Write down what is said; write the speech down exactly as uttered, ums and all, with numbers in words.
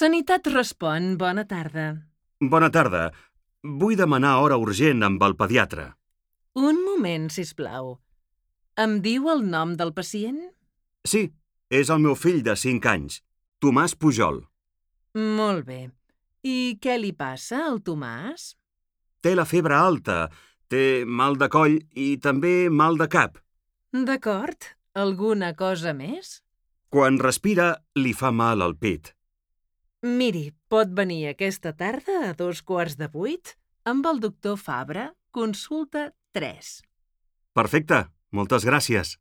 Sanitat respon, bona tarda. Bona tarda. Vull demanar hora urgent amb el pediatre. Un moment, sisplau. Em diu el nom del pacient? Sí, és el meu fill de cinc anys, Tomàs Pujol. Molt bé. I què li passa al Tomàs? Té la febre alta, té mal de coll i també mal de cap. D'acord. Alguna cosa més? Quan respira, li fa mal al pit. Miri, pot venir aquesta tarda a dos quarts de vuit amb el doctor Fabra, consulta tres. Perfecte, moltes gràcies.